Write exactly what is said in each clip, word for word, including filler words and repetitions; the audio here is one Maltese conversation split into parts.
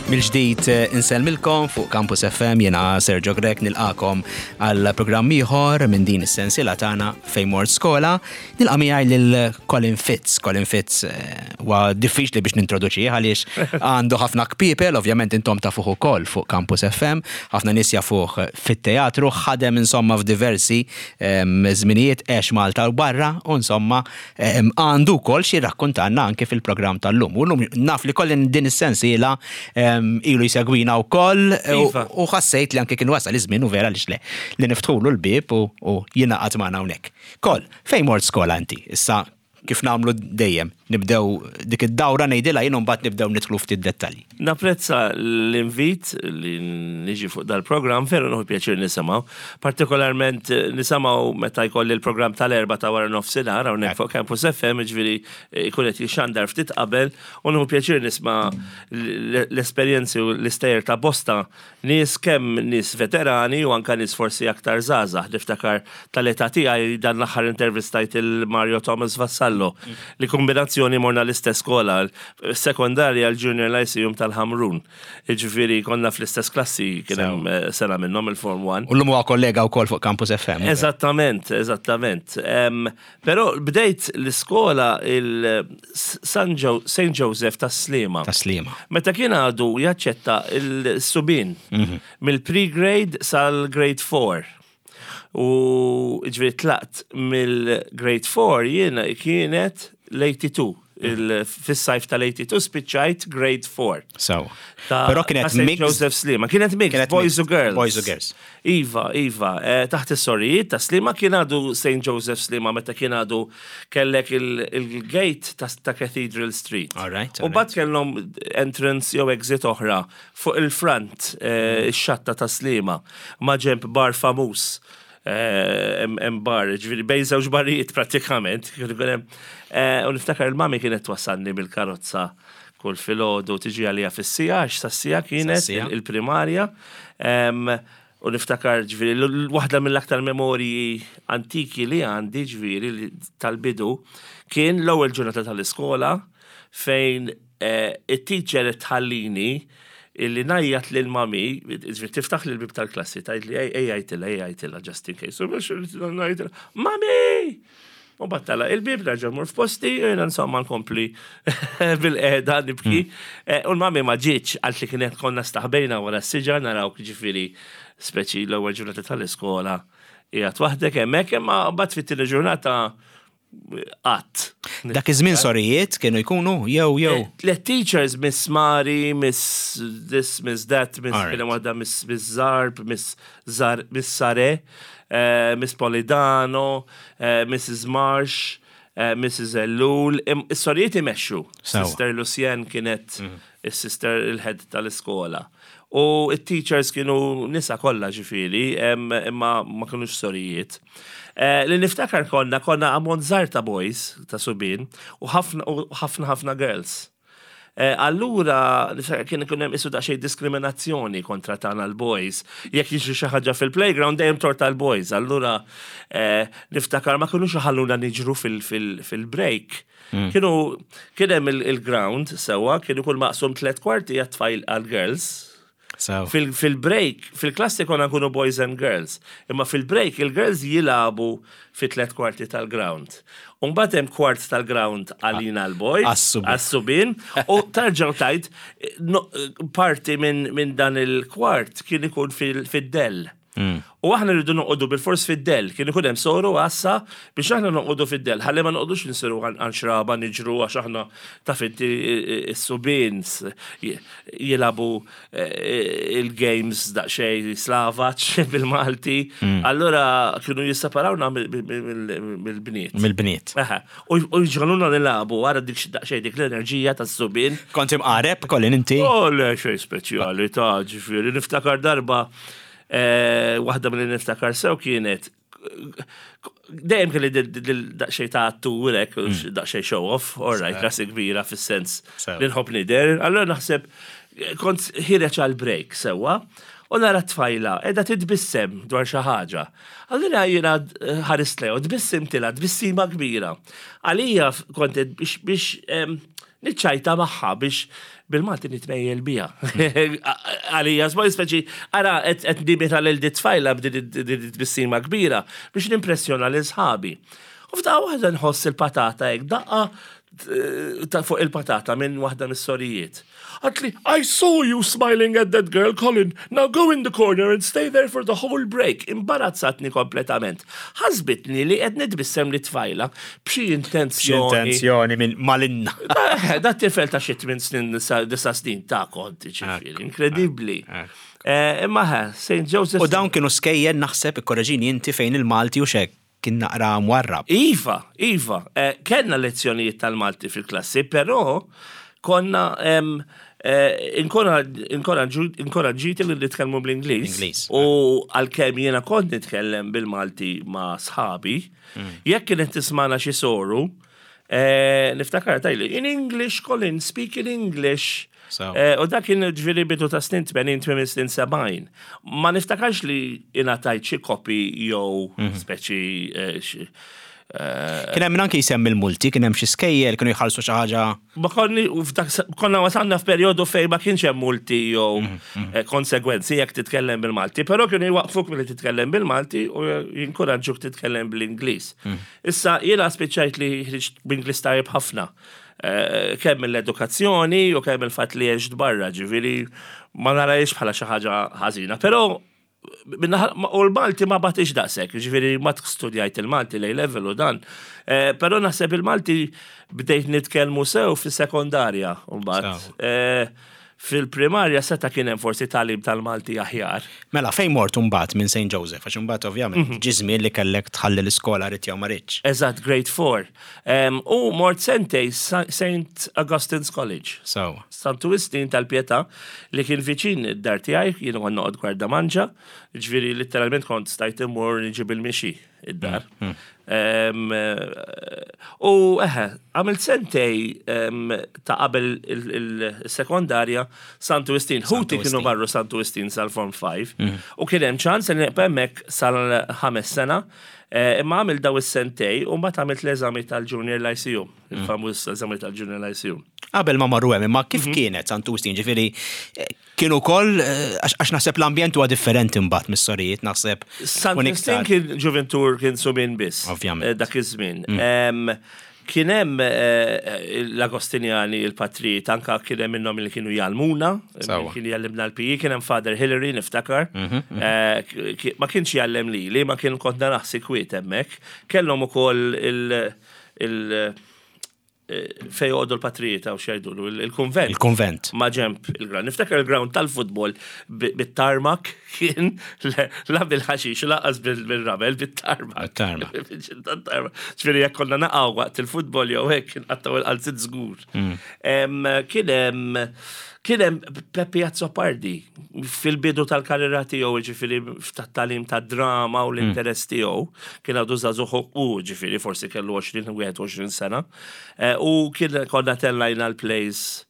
Mill-ġdid eh, insellmilkom fuq Campus F M, jiena Sergio Grech, nilqagħkom għal programm ieħor minn din is-sensiela tagħna Fejn Mort Skola. Nilqa' miegħi lil Colin Fitz. Colin Fitz eh, huwa diffiċli biex nintroduċih għaliex għandu ħafna kpiepel, ovvjament intom tafuh ukoll fuq Campus F M, ħafna nies jafuh fit-teatru, ħadem insomma f'diversi em, żminijiet, għex Malta u barra, u insomma em, għandu wkoll xi rakkontanna anke fil-programm tal-lum. U llum naf li Colin din is-sensiela em, ilu jsegwina wkoll u Iva. u ħassejt li anke kien wasal iż-żmien, u vera li le li niftħulu l-bib u, u jingħaqad magħna hawnhekk. Kol, fejn mort skola inti? Issa, kif nagħmlu dejjem, nibdew dik id-dawra ngħidilha jien u mbagħad nibdew nidħlu ftit dettalji. Napprezza l-invit li niġi fuq dal-program, veru nieħu pjaċir nisimgħu. Partikolarment eh, nisimgħu meta jkolli l-program tal-Erbgħa ta' wara nofsinhar hawnhekk fuq Campus F M, ġifieri eh, jkun qed jixxandar ftit qabel, u nieħu pjaċir nisma' l- l-esperjenzi u l-istejjer ta' bosta nies, kemm nies veterani u anka nies forsi aktar żgħażagħ. Niftakar tal-età tiegħi, dan l-aħħar intervistajt il-Mario Thomas Vassallo, li kombinazzjoni morna l-istess skola, sekondarja, l-Junior Lyceum tal-Ħamrun. Ġifieri konna fl-istess klassi, kien hemm eh, sena minnhom il-Form one. U llum huwa kollega wkoll fuq Campus F M. Eżattament, eżattament. Um, Pero bdejt l-iskola il-San Jo Saint Joseph ta' Slima. Ta' Slima. Meta kien għadu jaċċetta il-subien mill-pre-grade sal-grade four. U ġifieri tlaqt mill-grade four jiena kienet l-tnejn u disgħin. Il- Fis-sajf tal-tnejn u disgħin spiċċajt grade four. So. Ta' Però kienet ta' Saint mixed. Joseph Slima. Kienet mixed, Kienet boys mixed, u girls. Boys u girls. Iva, Iva. Eh, taħt is-sorijiet ta' Slima, kien għadu Saint Joseph Slima meta kien għadu kellek il- il-gate ta', ta' Cathedral Street. All right, U all mbagħad kellhom entrance jew exit oħra fuq il-front, eh, ix-xatta ta' Slima, ma' ġemp bar famuż. Eh, Hemm hemm bar, ġifieri bejn żewġ barijiet prattikament. Kien ikun hemm, eh, U niftakar il-mami kienet twassalni bil-karozza kull filgħodu, tiġi għalija fis-siegħa, għax sas-siegħa kienet Sas-siegħa. il- il-primarja. Em, U niftakar ġifieri, l- waħda mill-aktar memorji antiki li għandi, ġifieri li tal-bidu, kien l-ewwel ġurnata tal-iskola fejn eh, it-teacher tħallini illi ngħajjat lil mami, ġifieri tiftaħ l bib tal-klassi, tgħid li ej għajtilha, ej għajtilha, just in case. U biex ngħajtilha, "Mami!" U battala il-bib, nerġa' mur f'posti, u jiena insomma nkompli bil-qeda nibki. Eh, U l-mami ma ġietx, għalt li kienet konna staħbejna wara s-siġar narawk, ġifieri speċi l-ewwel ġurnata tal-iskola. Qiegħed waħdek hemmhekk, imma mbagħad fit-tieni ġurnata qatt. Dak iż-żmien sorijiet kienu jkunu jew jew. Le, teachers, Miss Mari, Miss this, Miss that, Miss Alright. kien waħda Miss Miss Zarb, Miss Zar, Miss Sare, eh, Miss Polidano, eh, Missus Marsh, eh, Missus Ellul. Im- Is-sorijiet imexxu. Sewa. Sister Lucien kienet is-sister il-head tal-iskola. U it-teachers kienu nisa kollha ġifieri, em, imma ma kienux sorijiet. Eh, Li niftakar konna, konna ammont żgħar ta' boys, ta' subien, u ħafna u ħafna ħafna girls. Eh, Allura, niftakar kien ikun hemm isu daqsxejn diskriminazzjoni kontra tagħna l-boys. Jekk jiġri xi ħaġa fil-playground, dejjem tort tal-boys. Allura eh, niftakar ma kinux iħalluna niġru fil- fil- fil-break. Kienu kien hemm il- il-ground sewwa, kienu kull maqsum tliet kwarti għat-tfal, għal-girls. So. Fil- Fil-break, fil-klassi konna nkunu boys and girls. Imma fil-break, il-girls jilagħbu fi tliet kwarti tal-ground. Umbagħad hemm kwart tal-ground għalina l-boys, Għas-subien. għas-subien, u terġgħu tajt, no, parti minn min dan il-kwart kien ikun fil- fid-dell. U aħna rridu noqogħdu bil-fors fid-dell, kien ikun hemm soru għassa biex aħna noqogħdu fid-dell, ħalli ma noqogħdux nsiru għan xraba niġru, għax aħna taf inti s-subien jilagħbu eh, il-games daqsxejn slavaċ bil-Malti. Allura kienu jisseparawna mill-bniet. Mill-bniet. Aha. U u jġagħluna nilagħbu għara dik daqsxejn dik l-enerġija tas-subien. Kont imqareb, Colin, inti? Oh, le, xej speċjali ta' ġifieri. Niftakar darba, eh, waħda mill niftakar sew kienet, dejjem kelli daqsxejn ta' attur hekk, daqsxejn show off, all right, rasi kbira fis-sens Sew. li nħobb nidher. Allora naħseb kont ħiereġ għal break sewwa, u nara tfajla qiegħda titbissem dwar xi ħaġa. Allura jiena ħarist lejha u tbissimtilha tbissima kbira. Għalija kont biex biex em, niċċajta magħha biex Bil-Malti nitmejjel bija. Għalija, żboj speċi, ara, qed nimita lil dit-tfajla b'din tbissima kbira biex nimpressjona lil sħabi. U f'daqqa waħda nħoss il-patata hekk, daqqa ta' fuq il-patata minn waħda mis-sorijiet. Qaltli, "I saw you smiling at that girl, Colin. Now go in the corner and stay there for the whole break." Imbarazzatni kompletament. Ħasbitni li qed nitbissem lit-tfajla b'xi intenzjoni. Intenzjoni minn malinna. Da da tifel ta' xi tmien snin, disa' snin ta' konti ġifieri, inkredibbli. Eh, Imma ħa, Saint Joseph. U dawn kienu skejjel, naħseb, ikkoreġini inti, fejn il-Malti u xek kien naqra mwarrab. Iva, Iva, eh, kellna lezzjonijiet tal-Malti fil-klassi, però konna em, eh, inkoraġġiti li nitkellmu bl-Ingliż. Ingliż. U għalkemm jiena kont nitkellem bil-Malti ma' sħabi, jekk kienet tismana xi soru, eh, niftakar tgħidli, "In English, Colin, speak in English." So. Eh, U dak kien ġifieri bidu ta' snin tmenin, tmien snin sebgħin. Ma niftakarx li ingħatajt xi kopi jew speċi eh, xi- eh, Kien hemm anke jsemmi l-multi, kien hemm xi skejjel kienu jħallsu xi ħaġa. Ma konni, u f'dak- konna wasalna f'perjodu fejn ma kienx hemm multi jew eh, konsegwenzi jekk titkellem bil-Malti, però kienu jwaqfuk milli titkellem bil-Malti u jinkoraġġuk titkellem bl-Ingliż. Issa jiena spiċċajt li ħriġt b'Ingliż tajjeb ħafna. Eh, Kemm mill-edukazzjoni u kemm il-fatt li għext barra, ġifieri ma narahiex bħala xi ħaġa ħażina, però minnaħa- ma- u l-Malti ma batix daqsek, ġifieri ma studjajt il-Malti l level u dan. Eh, Però naħseb il-Malti bdejt nitkellmu sew fis-sekondarja mbagħad. Sew. Eh, Fil-primarja seta' kien hemm forsi tagħlim tal-Malti aħjar. Mela, fejn mort mbagħad minn Saint Joseph, għax imbagħad ovvjament ġi żmien li kellek tħalli l-iskola ridt jew ma ridtx. Eżatt, grade four. Um, u mort sentejn Sa- Saint Augustine's College. So, Santu Wistin tal-Pietà li kien viċin id-dar tiegħi, jien kont noqgħod Gwardamanġa, ġifieri letteralment kont stajt immur niġi bil-mixi id-dar. Em, eh, U eħe, għamilt sentejn em, ta' qabel il- il-sekondarja Santu Wistin. Ħuti kienu Wistin. marru Santu Wistin sal-Form five u kien hemm ċans li nibqa' hemmhekk sal-ħames sena. Eh, Imma għamilt daw is-sentejn u mbagħad għamilt l-eżami tal-Junior Lyceum, il-famuż eżami tal-Junior Lyceum. Qabel ma marru hemm, imma kif kienet Santu Wistin, ġifieri eh, kienu wkoll eh, għax għax naħseb l-ambjent huwa differenti mbagħad mis-sorijiet, naħseb. Sant kun Wistin iktar- kien ġuventur, kien subien biss. Ovvjament. Eh, Dak iż-żmien. Em, Kien hemm eh, l-Agostinjani, il-patrijiet, anka kien hemm minnhom li kienu jgħallmuna, Sewwa. kien jgħallimna l-P E, kien hemm Father Hillary, niftakar. Eh, ki- Ma kienx jgħallem li, li ma kien kont naraħsi kwiet hemmhekk. Kellhom ukoll il- il- eh, fejn joqogħdu l-patrijiet għaw x'jgħidulu, il-konvent. Il-konvent. Ma ġemp il-ground. Niftakar il-ground tal-futbol bi- bit-tarmac kien le- la bil-ħaxix, lanqas bil-ramel, bit-tarmac. Bit-tarmac. Bil-tarmac. Ġifieri jekk konna naqgħu waqt il-futbol jew hekk nqattgħu il-qalziet żgur. Em, Kien hemm kien hemm Peppi Azzopardi fil-bidu tal-karriera tiegħu, ġifieri tat-tagħlim tad-drama u l-interess tiegħu, kien għadu żagħżugħ u ġifieri forsi kellu għoxrin, wieħed u għoxrin sena. Eh, U kien konna tellajna l-plays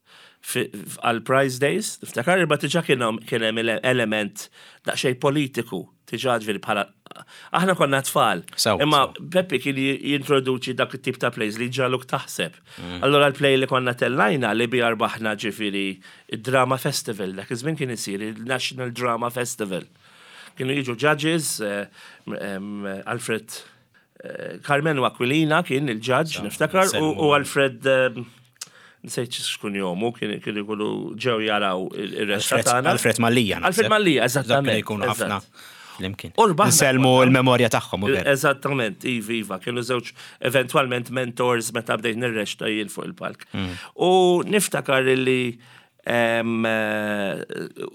fi- għal Prize Days, niftakar, imma diġà kien hemm kien hemm ele- element daqsxejn politiku, diġà ġifieri bħala aħna konna tfal. Sew, Imma sew. Peppi kien jintroduċi dak it-tip ta' plays li jġagħluk taħseb. Allora l-play li konna tellajna li bi rbaħna ġifieri il-Drama Festival, dak iż-żmien kien isir il-National Drama Festival. Kienu jiġu judges, eh, em, Alfred eh, Carmenu Aquilina kien il-judge, niftakar, u u Alfred em, nsejt x'kun jomu, kien kien ikunu ġew jaraw il-reċta Alfred, tagħna. Alfred Mallia. naħseb. Alfred Mallia, Dak eżattament. kienu jkunu ħafna eżatt. flimkien. U rbaħna Nsellmu konna. l-memorja tagħhom u ver. Eżattament, iva, iva, kienu żewġ eventualment mentors meta bdejt nirreċta jien fuq il-palk. U niftakar li em, eh,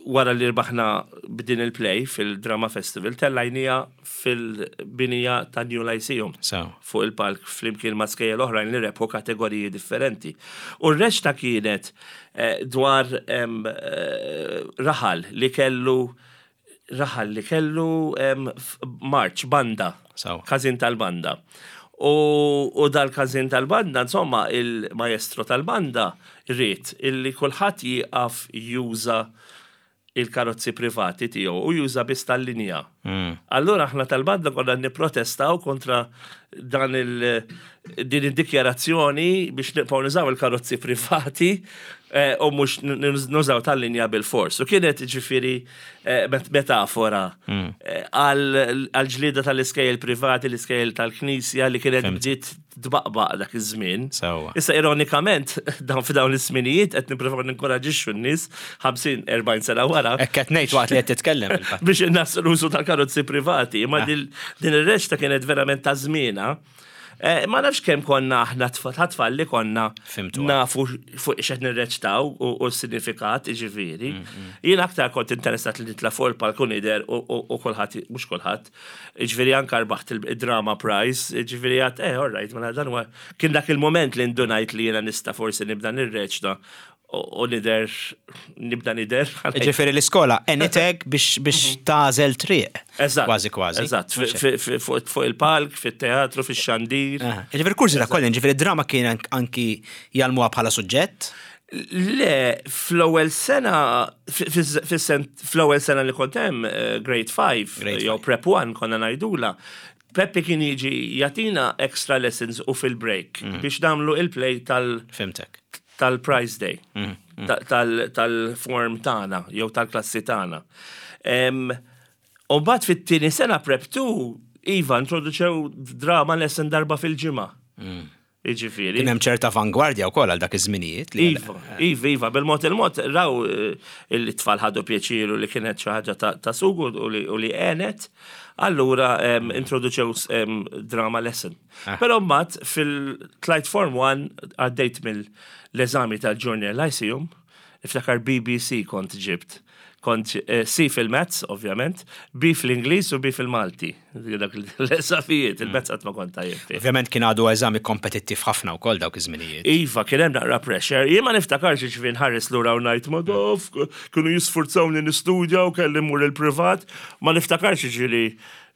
wara li rbaħna b'din il-play fil-Drama Festival, tellajnieha fil-binija ta' New Lyceum So. fuq il-palk flimkien ma' skejjel oħrajn li rebħu kategoriji differenti. U r-reċta kienet eh, dwar em, eh, raħal li kellu raħal li kellu em, f- march, banda, Sew. każin tal-banda. U, u dal-każin tal-banda, insomma, il-maestro tal-banda ried illi kulħadd jieqaf juża il-karozzi privati tiegħu u juża biss tal-linja. Mm. Allura aħna tal-banda konna nipprotestaw kontra dan il din id-dikjarazzjoni biex nibqgħu nużaw il-karozzi privati eh, u mhux nużaw tal-linja bil-fors. U kienet ġifieri eh, metafora mm. eh, għal-ġlida tal-iskejjel privati, l-iskejjel tal-knisja li kienet bdiet tbaqbaq dak iż-żmien. Issa ironikament, dawn f'dawn l-isminijiet qed nippruvaw ninkoraġixxu n-nies ħamsin erbgħin sena wara. Hekk qed ngħid waqt li qed titkellem. Biex innaqqsu l-użu tal-karozzi privati. Imma ah. din ir-reċta kienet verament ta' żmienha. Eh, ma nafx kemm konna aħna tfal li konna nafu fuq x'qed nirreċtaw u s-sinifikat, ġifieri. Mm, mm. Jien aktar kont interessat li nitla' fuq il-palku nidher u kulħadd, mhux kulħadd, ġifieri anka rbaħt il-drama prize, ġifieri għedt, eh, all right, mela dan huwa kien dak il-moment li ndunajt li jiena nista' forsi nibda nirreċta u nidher, nibda nidher. Ġifieri l-iskola, għenitek biex biex mhm. tagħżel triq. Eżatt. Kważi kważi. Eżatt, fuq il-palk, fit-teatru, fix-xandir. Ġifieri kursi ta' kollin, ġifieri drama kien anki jgħallmuha bħala suġġett? Le, fl-ewwel sena, fl-ewwel sena li kont hemm, eh, grade five, jew prep one konna ngħidula, Peppi kien jiġi jagħtina extra lessons u fil-break mm. biex nagħmlu il-play tal- Fhimtek. Tal-Prize Day, mm, mm. tal-form tagħna, jew tal-klassi tagħna. U mbagħad fit-tieni sena prep two, iva, introduċew drama lesson darba fil-ġimgħa. Mm. Iġifieri. Kien hemm ċerta avangwardja wkoll għal dak iż-żminijiet. Iva, iva, iva, bil-mod il-mod raw eh, il-tfal ħadu pjaċiru li kienet xi ħaġa ta' sugu u li għenet. Allura introduċew drama lesson. Ah. Però mbagħad fil-tlajt Form one għaddejt mill-eżami tal-Junior Lyceum, iftakar B B C kont ġibt. Kont eh, C fil-Maths, ovvjament, B fl-Ingliż u B fil-Malti. Dak l-eżamijiet, il-Maths qatt ma kont tajjeb fih. Ovvjament kien għadu eżami kompetittiv ħafna wkoll dawk iż-żminijiet. Iva, kien hemm naqra pressure. Jien ma niftakarx ġifieri nħares lura u ngħid ma dof, kienu jisfurzawni nistudja u kelli mmur il-privat. Ma niftakarx ġifieri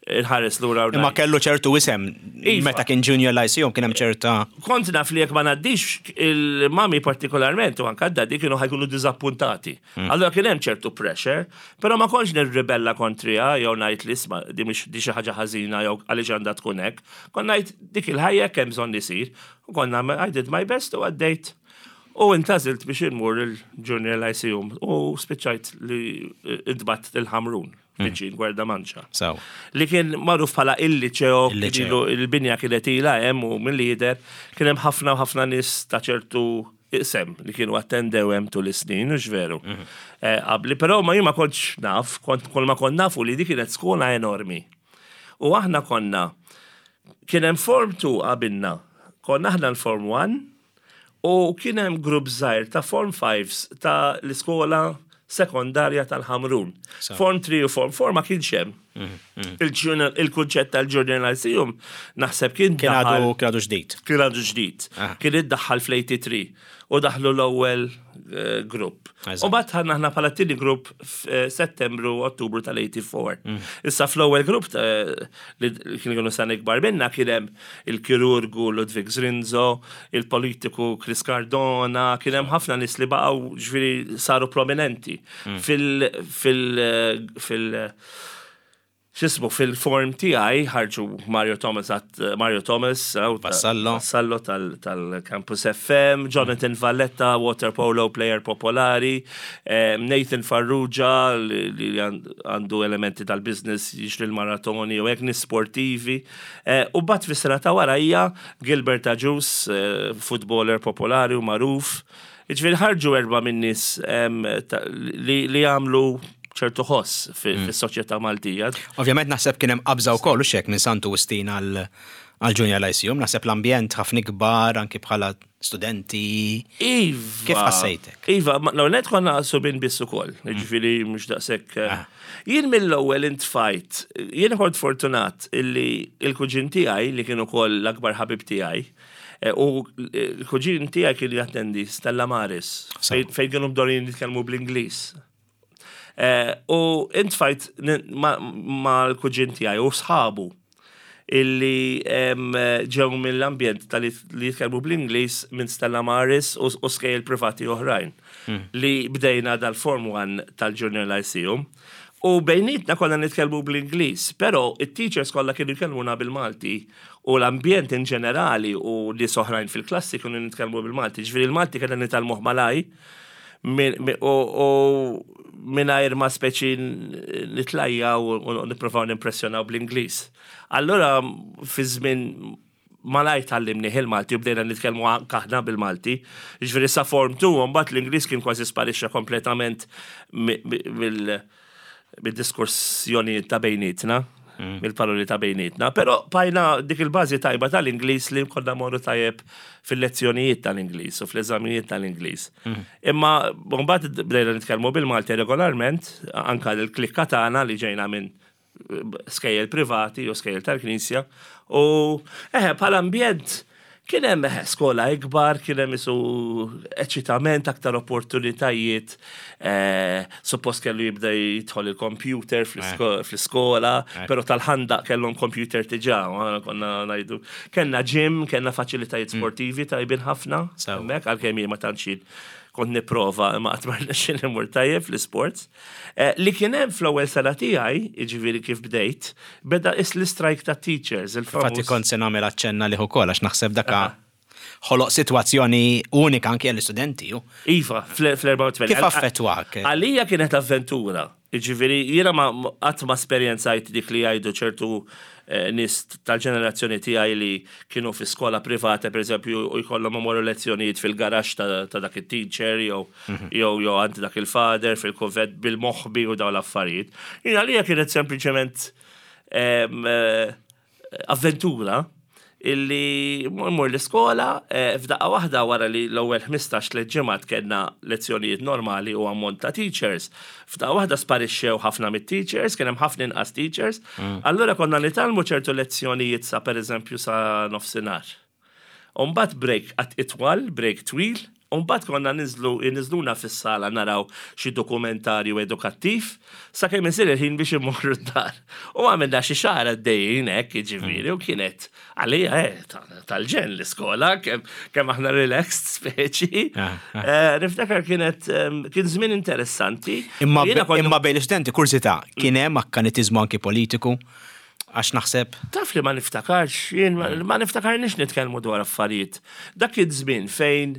nħares lura u Imma ngħid. kellu ċertu isem Iva. meta kien Junior Lyceum kien hemm ċerta. Kont naf li jekk ma ngħaddix, il-mami partikolarment u anka d-daddy kienu ħa jkunu diżappuntati. Allora kien hemm ċertu pressure, però ma kontx nirribella kontriha jew ngħid li isma' di mhix di xi ħaġa ħażina jew għaliex għandha tkun hekk. Kont ngħid dik il-ħajja kemm bżonn isir. U konna I did my best u għaddejt. U intgħażilt biex inmur il-Junior Lyceum u spiċċajt li intbagħatt il-Ħamrun, viċin Gwerdamanċa. Sew. Li kien magħruf bħala il-liċeo, Il-liċeo. ilu- il-binja kienet ilha hemm u mill-lider kien hemm ħafna u ħafna nies ta' ċertu isem li kienu attendew hemm tul is-snin, u veru. Eh, Qabli, però ma jien ma kontx naf, kont kull ma kont nafu li dik kienet skola enormi. U aħna konna kien hemm Form two qabilna, konna aħna l-Form one u kien hemm grupp żgħir ta' Form fives ta' l-iskola sekondarja tal-Ħamrun. So. Form three u Form four ma kienx hemm. Il-junior- Il-kunċett tal-Junior Lyceum naħseb kien Kien għadu daħal- kien għadu ġdid. Kien għadu ġdid. Ah. Kien iddaħħal fl-tmienja u tmenin u daħlu l-ewwel eh, grupp. Eżatt. U mbagħad ħanna aħna bħala tieni grupp f'Settembru Ottubru tal-erbgħa u tmenin. Issa fl-ewwel grupp eh, li kien kienu sena ikbar minna kien hemm il-kirurgu Ludwig Zrinzo, il-politiku Chris Cardona, kien hemm ħafna nies li baqgħu ġifieri saru prominenti fil fil fil xismu fil-form tiegħi ħarġu Mario Thomas at Mario Thomas aw, ta- Vassallo. Vassallo tal- tal-Campus F M, Jonathan Valletta, water polo player popolari, eh, Nathan Farrugia li li għandu elementi tal-business jixtri l-maratoni u hekk nies sportivi. Eh, U mbagħad fis-sena ta' warajja Gilbert Agius, eh, footballer popolari u magħruf. Ġifieri ħarġu erba' minn nies em, ta- li li għamlu ċertu ħoss fis-soċjetà Maltija. Ovvjament naħseb kien hemm qabża wkoll u xek minn Santu Wistin għal għal Junior Lyceum, naħseb l-ambjent ħafna ikbar anki bħala studenti. Iva. Kif ħassejtek? Iva, ma- l net konna subien biss ukoll, ġifieri mhux daqshekk. eh, Ah. Jien mill-ewwel intfajt, jien kont fortunat illi il-kuġin tiegħi li kien ukoll l-akbar ħabib tiegħi, eh, u il-kuġin tiegħi kien jattendi Stella Maris, Sew. fejn fejn kienu mdorrijin jitkellmu bl-Ingliż. Eh, U intfajt ma ma l-kuġin tiegħi u sħabu illi em, ġew mill-ambjent tal li jitkellmu bl-Ingliż minn Stella Maris u, u skejjel privati oħrajn li bdejna dal-Form one tal-Junior Lyceum. U bejnietna konna nitkellmu bl-Ingliż, però it-teachers kollha kienu jkellmuna bil-Malti u l-ambjent in ġenerali u li oħrajn fil-klassi kienu nitkellmu bil-Malti. Ġifieri il-Malti kellna nitgħallmuh malajr u mingħajr ma speċi nitlajja u nippruvaw nimpressjonaw bl-Ingliż. Allora fi żmien malajr tgħallimnieh il-Malti u bdejna nitkellmu aħna bil-Malti. Ġifieri sa form two, mbagħad l-Ingliż kien kważi sparixxa kompletament mill-diskussjoni ta' bejnietna, mm. mill-paroli ta' bejnietna. Però bqajna dik il-bażi tajba tal-Ingliż li konna morru tajjeb fil-lezzjonijiet tal-Ingliż u fl-eżamijiet tal-Ingliż. Mm. Imma mbagħad bdejna nitkellmu bil-Malti regolarment, anka l-klikka tagħna li ġejna minn skejjel privati u skejjel tal-Knisja. U eħe, bħala ambjent kien hemm eħe, skola ikbar, kien hemm isu eċitament, aktar opportunitajiet, eh, suppost kellu jibda jidħol il-computer fl-iskola, però tal-Ħandaq kellhom computer diġà, konna ngħidu. Kellna gym, kellna faċilitajiet mm. sportivi tajbin ħafna, hemmhekk għalkemm jien ma tantx kont nipprova imma qatt ma rnexxieli mmur tajjeb fl-sports. Eh, li kien hemm fl-ewwel sena tiegħi, jiġifieri kif bdejt, beda is l-strike ta' teachers. Infatti kont se nagħmel aċċenna li ukoll għax naħseb daka ħoloq sitwazzjoni unika anke għall-istudenti. Iva, fl-erbgħa u tmenin. Kif affettwak? Għalija kienet avventura. Ġifieri, jiena ma qatt ma esperjenzajt dik li jgħidu ċertu eh, nies tal-ġenerazzjoni tiegħi li kienu fi skola privata, per eżempju, u jkollhom imorru lezzjonijiet fil-garaxx ta' dak it-teacher jew mhm. jew jew għand dak il-father fil-kunvent bil-moħbi u dawn l-affarijiet. Jiena għalija kienet sempliċement eh, avventura illi mmur l-iskola eh, f'daqqa waħda wara li l-ewwel ħmistax tliet ġimgħat kellna lezzjonijiet normali u ammont ta' teachers. F'daqqa waħda sparixxew ħafna mit-teachers, kien hemm ħafna inqas teachers. Mm. Allura konna nitgħallmu ċertu lezzjonijiet sa pereżempju sa nofsinhar. U mbagħad break għat itwal, break twil, u mbagħad konna niżlu niżluna fis-sala naraw xi dokumentarju edukattiv sakemm isir il-ħin biex immorru d-dar. U għamilna xi xahar għaddejjin hekk, jiġifieri, u kienet għalija eh, ta- tal-ġenn l-iskola, kemm kemm aħna relaxed speċi. Ah, ah. Eh, Niftakar kienet em, kien żmien interessanti. Imma Jiena kont- imma bejn l-istudenti, kurżità, kien hemm akkanitiżmu anki politiku? Għax naħseb. Taf li ma niftakarx, jien ma- ma niftakarniex nitkellmu dwar affarijiet. Dak iż-żmien fejn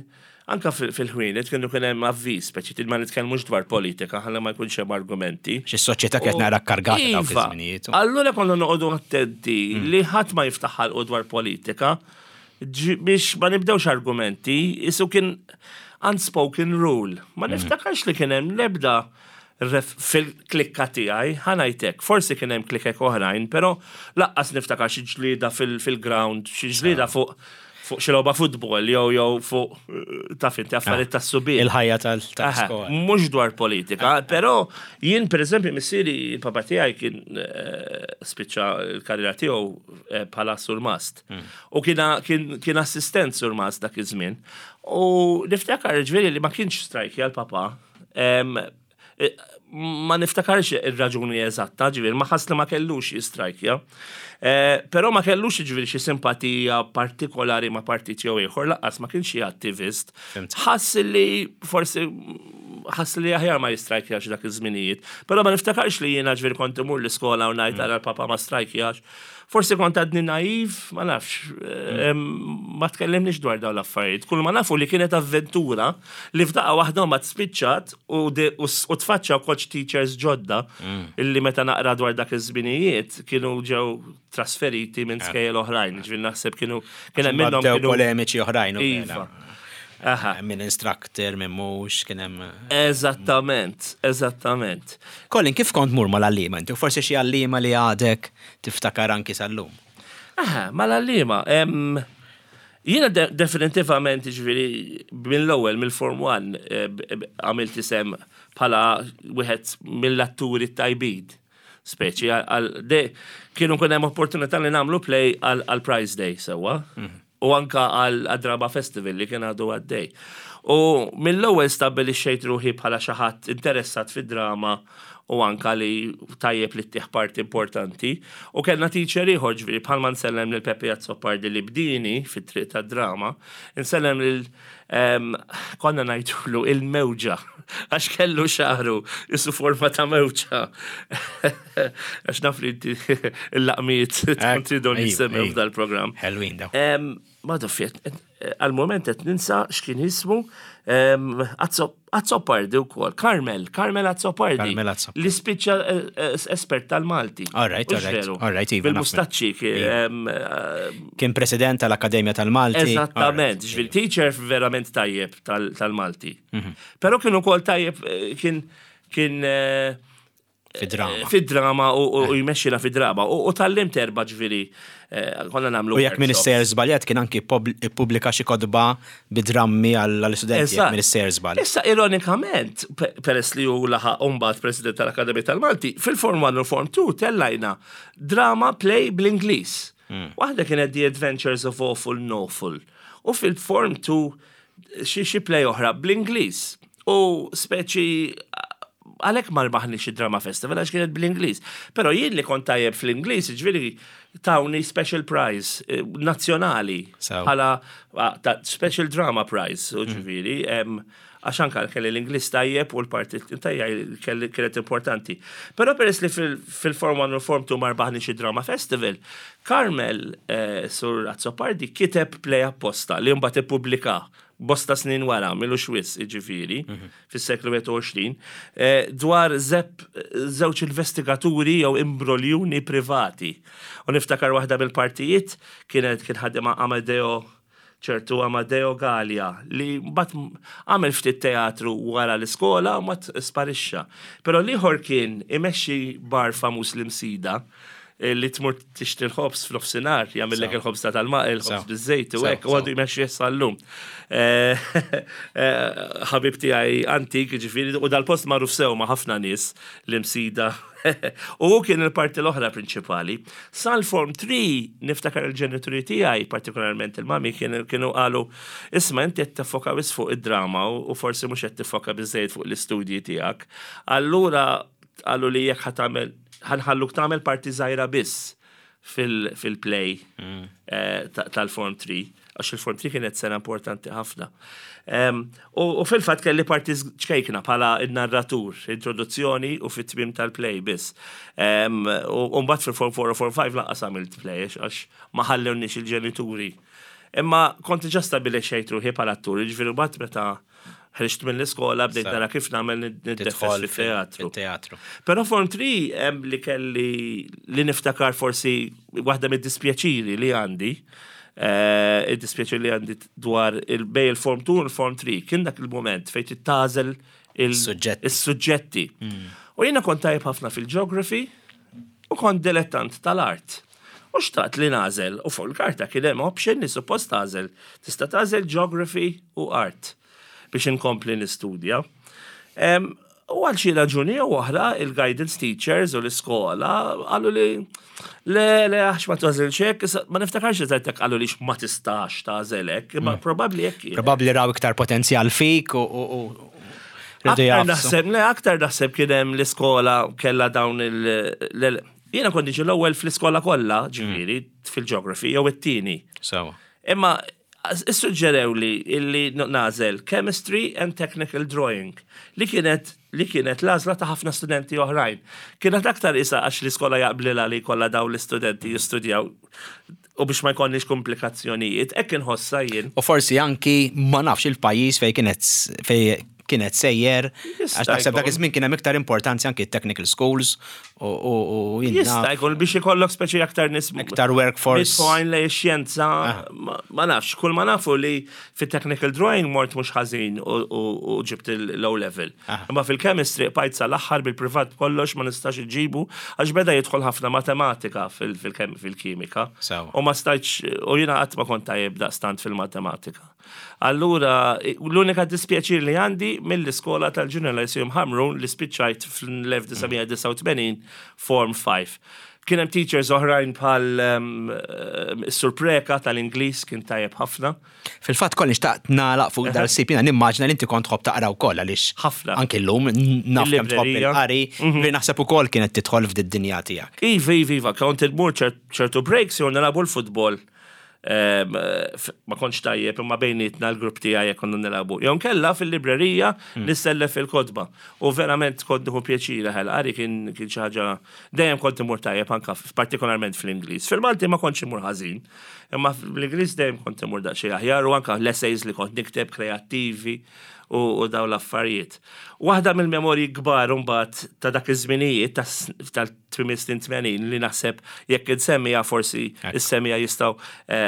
anka fil- fil-ħwienet kienu kien hemm avviż, speċi ma nitkellmux dwar politika, ħalla ma jkunx hemm argumenti. Xi soċjetà kienet nara kargata dawk Iva, iż-żminijiet. Allura konna noqogħdu attenti li ħadd ma jiftaħ ħalqu dwar politika ġi- biex ma nibdewx argumenti, isu kien unspoken rule. Ma niftakarx li kien hemm l-ebda ref fil-klikka tiegħi, ħa ngħidlek, forsi kien hemm klikek oħrajn, però lanqas niftakar xi ġlieda fil- fil-ground, xi ġlieda fuq fuq xi logħba futbol jew jew fuq eh, taf inti affarijiet tas-subien. Il-ħajja Aha, tal-iskola. mhux dwar politika, però jien per eżempju missieri, il-papa tiegħi kien eh, spiċċa l-karriera tiegħu eh, bħala surmast. U kien kien kien assistent surmast dak iż-żmien. U niftakar ġifieri li ma kienx strajkja l-papa. Em, eh, Ma niftakarx ir-raġuni eżatta, ġifieri, ma ħass li ma kellux jistrajkja. Eh, Però ma kellux ġifieri xi simpatija partikolari ma' partit jew ieħor, lanqas ma kienx xi attivist. Fhimt. Ħass li forsi ħass li aħjar ma jistrajkjax dak iż-żminijiet. Però ma niftakarx li jiena ġifieri kont imur l-iskola u ngħid ara l-papa ma strajkjax. Forsi kont għadni naiv, ma nafx, em, ma tkellimniex dwar dawn l-affarijiet. Kull ma nafu li kienet avventura li f'daqqa waħda ma tspiċċat u de- u s- u tfaċċaw coach teachers ġodda illi meta naqra dwar dak iż-żminijiet kienu ġew trasferiti minn skejjel oħrajn. Ġifieri naħseb kienu kien hemm minnhom Bdew kienu polemiċi oħrajn. u Iva. vera. Aha. Minn instructor, minn mhux, kien hemm. Eżattament, eżattament. Colin, kif kont mur mal-għalliema inti? U forsi xi għalliema li għadek tiftakar anki sal-lum. Aha, mal-għalliema. em, Jiena de definitivament, ġifieri, mill-ewwel, mill-Form one, eh, b- b- għamilt isem bħala wieħed mill-atturi tajbin. Speċi, għal de, kienu kun hemm opportunità li nagħmlu play għal għal Prize Day, sewwa. U anka għal għal Drama Festival li kien għadu għaddej. U mill-ewwel stabbilixxejt ruħi bħala xi ħadd interessat fid-drama u anka li tajjeb li ttih parti importanti. U kellna teacher ieħor, ġifieri bħalma nsellem lil Peppi Azzopardi li bdini fit-triq tad-drama, nsellem lil em, konna ngħidulu il-mewġa, għax kellu xagħru qisu forma ta' mewġa. Għax naf li inti il-laqmiet tkun tridhom ejju, jissemmew ejju. f'dal-programm. Ħelwin daw. Em, Ma doffiet, għal-moment qed ninsa x'kien jismu em, Azzo- Azzopardi wkoll, Carmel, Carmel Azzopardi. Carmel Azzopardi. Li spiċċa eh, eh, espert tal-Malti. All right, Hux all right, veru? all right, iva, naf. Bil-mustaċċi kien, em, eh, Kien president tal-Akkademja tal-Malti. Eżattament, ġifieri teacher verament tajjeb tal- tal-Malti. Però kien ukoll tajjeb, eh, kien kien eh, Fid-drama. Fid-drama u u jmexxina fid-drama. U u tgħallimt erba' ġifieri, eh, konna nagħmlu U jekk workshops. Minister żbaljat, kien anki ippubblika xi kotba bidrammi għall-istudenti, jekk Eżatt. Minister żball. Issa, ironikament, pe- peress li hu laħaq mbagħad president tal-Akademija tal-Malti, fil-Form one u Form two tellajna drama play bl-Ingliż. Waħda kienet The Adventures of Awful Nawful. U fil-Form two xi xi play oħra bl-Ingliż. U speċi għalhekk ma rbaħniex id-Drama Festival għax kienet bl-Ingliż. Però jien li kont tajjeb fl-Ingliż, ġifieri tawni special prize eh, nazzjonali Sew. bħala ah, ta' special drama prize, u ġifieri, em, għax anka kelli l-Ingliż tajjeb u l-parti tajjeb kelli kienet importanti. Però peress li fil- fil-Form one u Form two ma rbaħniex id-Drama Festival, Carmel eh, Sur Azzopardi kiteb play apposta li mbagħad ippubblika bosta snin wara, m'ilux wisq, ġifieri, fis-seklu wieħed u għoxrin, eh, dwar zep żewġ investigaturi jew imbroljuni privati. U niftakar waħda mill-partijiet kienet kien ħadima Amadeo, ċertu Amadeo Gallia, li mbagħad għamel ftit teatru wara l-iskola u mbagħad sparixxa. Però l-ieħor kien imexxi bar famuż l-Imsida, eh, li tmur tixtri l-ħobż f'nofsinhar, jagħmellek Sew. il-ħobż ta' tal-ma, il-ħobż Sew. biż-żejt u Sew, hekk, u għadu sew. jmexxi sal-lum. Eh, eh, Ħabib tiegħi antik, ġifieri, u dal-post magħruf sew ma' ħafna nies l-Imsida. U hu kien il-parti l-oħra prinċipali. Sal-Form tlieta niftakar il-ġenituri tiegħi, partikolarment il-mami, kienu kienu qalu, "Isma', inti qed tiffoka biss fuq id-drama u u forsi mhux qed tiffoka biżejjed fuq l-istudji tiegħek." Allura qalu li jekk ħa tagħmel ħa nħalluk tagħmel parti żgħira biss fil- fil-play eh, ta- tal-Form tlieta, għax il-Form tlieta kienet sena importanti ħafna. Em, U u fil-fatt kelli parti ċkejkna bħala il-narratur, introduzzjoni u fit-tmim tal-play biss. Em, U u mbagħad fil-Form four u Form five lanqas għamilt play għax ma ħallewniex il-ġenituri. Imma kont ġa stabbilixxejt ruħi bħala attur, ġifieri mbagħad meta ħriġt mill-iskola bdejt Sa- nara kif nagħmel niddefes Tidħol fit-teatru. fit-teatru. Però Form tlieta hemm li kelli li niftakar forsi waħda mid-dispjaċiri li għandi, eh, id-dispjaċiri li għandi dwar il-bejn il-Form two u il-Form tlieta, kien dak il-moment fejn tagħżel il- Suġġetti. il-suġġetti. U jiena kont tajjeb ħafna fil-geography u kont dilettant tal-art. U xtaqt li nagħżel, u fuq il-karta kien hemm option li suppost tagħżel. Tista' tagħżel geography u art biex inkompli nistudja. Em, U għal xi raġuni jew oħra il-guidance teachers u l-iskola qalu li le, le, għax ma tagħżilx hekk, issa ma niftakarx eżatt jekk qalu li ma tistax tagħżel hekk, imma probabbli hekk kien. Probabbli raw iktar potenzjal fik u u- u rridu Aktar jafsu. naħseb, le, aktar naħseb kien hemm l-iskola kella dawn il- l- Jiena kont niġi l-ewwel fl-iskola kollha, ġifieri, fil-geography, jew it-tieni. Sewa. Imma issuġġerew li illi nagħżel chemistry and technical drawing li kienet li kienet l-għażla ta' ħafna studenti oħrajn. Kienet aktar isa għax l-iskola jaqblilha li kollha dawn l-istudenti jistudjaw u biex ma jkollniex komplikazzjonijiet, hekk inħossha jien. U forsi anki ma nafx il-pajjiż fej kienet fej kienet sejjer, Jista' għax naħseb dak jkun. iż-żmien kien hemm iktar importanza anki technical schools u u u jien Jista' naf. jkun biex ikollok speċi aktar nies Iktar workforce. Mitfajn lejn xjenza, ma ma nafx, kull ma nafu li fit-technical drawing mort mhux ħażin u- u u ġibt il-low level. Ah. Imma fil-chemistry bqajt sal-aħħar bil-privat kollox ma nistax iġibu għax beda jidħol ħafna matematika fil- fil- fil-kimika. Sewa. U ma stajtx, u jiena qatt ma kont tajjeb daqstant fil-matematika. Allura, l-unika dispjaċir li għandi mill-iskola tal-Junior Lyceum Hamrun li spiċċajt fl-elf disa' mija disgħa u tmenin Form five. Kien hemm teachers oħrajn bħal um, eh, Sur Preka tal-Ingliż, kien tajjeb ħafna. Fil-fatt kolli xtaqt nagħlaq fuq dal-sip, jiena nimmaġina li inti kont tħobb taqra wkoll għaliex Ħafna. anke llum naf kemm tħobb Il-librerija. il-qari, li naħseb ukoll kienet tidħol f'did-dinja tiegħek. Iva, iva, iva, kont immur ċertu breaks jew nilagħbu l-futbol. Em, f- Ma kontx tajjeb, imma bejnietna l-grupp tiegħi jekk konna nilagħbu. Jew kella fil-librerija nissellef il-kotba. U verament kont nieħu pjaċir ħel qari, kien kien xi ħaġa dejjem kont imur tajjeb, anka f- partikolarment fl-Ingliż. Fil-Malti ma kontx imur ħażin, imma fl-Ingliż dejjem kont imur daqsxejn aħjar u anka l-essays li kont nikteb kreattivi u, u daw l-affarijiet. Waħda mill-memorji kbar mbagħad ta' dak iż-żminijiet tal-tmien snin tmenin li naħseb jekk insemmija forsi is-semmiegħa jistgħu eh,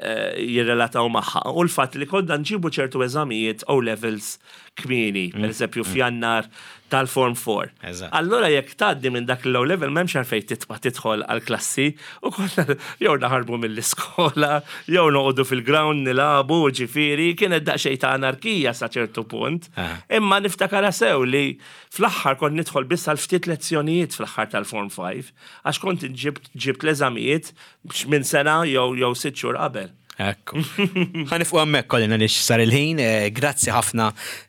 eh, jirrelataw magħha. U l-fatt li konna nġibu ċertu eżamijiet O levels kmieni, per eżempju f'Jannar tal-Form four. Eżatt. Allora jekk tgħaddi minn dak l-O level, m'hemmx għalfejn titfa' tidħol għal-klassi u konna jew naħarbu mill-iskola, jew noqogħdu fil-ground nilagħbu, ġifieri kienet daqsxejn ta' anarkija sa ċertu punt. Ah. Imma niftakara sew li fl-aħħar kont nidħol biss għal ftit lezzjonijiet fl-aħħar tal-Form five, għax kont ġibt ġibt l-eżamijiet minn sena jew jew sitt xhur qabel. Ekku. Ħa nieqfu hemmhekk kollina li sar il-ħin. eh, Grazzi ħafna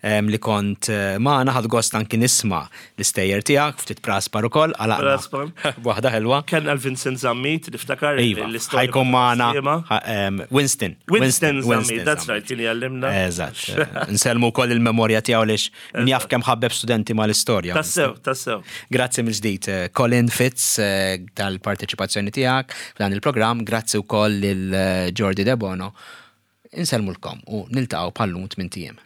em, li kont eh, magħna, ħadt gost anki nisma' l-istejjer tiegħek, ftit praspar ukoll, għalaqna. Praspar. Waħda ħelwa. Kellna l-Vincent Zammit, niftakar Iva, l-istorja ħa jkun magħna tas-Sliema. ħa- em, Winston. Winston Zammit, that's right, kien jgħallimna. Eżatt. Eh, Nsellmu wkoll il-memorja tiegħu lix min jaf kemm ħabbeb studenti mal-istorja. Tassew, tassew. Grazzi mill-ġdid, eh, Colin Fitz, eh, tal-parteċipazzjoni tiegħek f'dan il-programm, grazzi wkoll lil eh, Jordi De Bono. Insellmulkom u niltaqgħu bħal-lum tmint ijiem.